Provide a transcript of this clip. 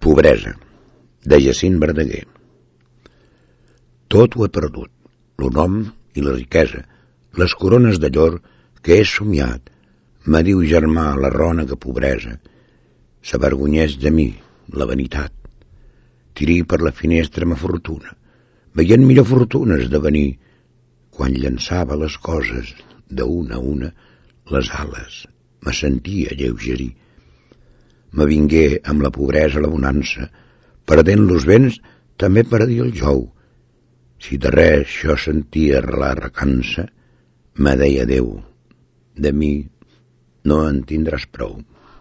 Pobresa, de Jacint Verdaguer. Tot ho he perdut, lo nom i la riquesa, les corones de llor que he somiat. Me diu germà la rònega pobresa, s'avergonyeix de mi, la vanitat. Tirí per la finestra ma fortuna, veient millor fortunes de venir, quan llançava les coses d'una a una, les ales me sentia lleugerir. Me vingué amb la pobresa la bonança, perdent los béns també perdia el jou. Si de res jo sentia la recança, me deia Déu, de mi no en tindràs prou.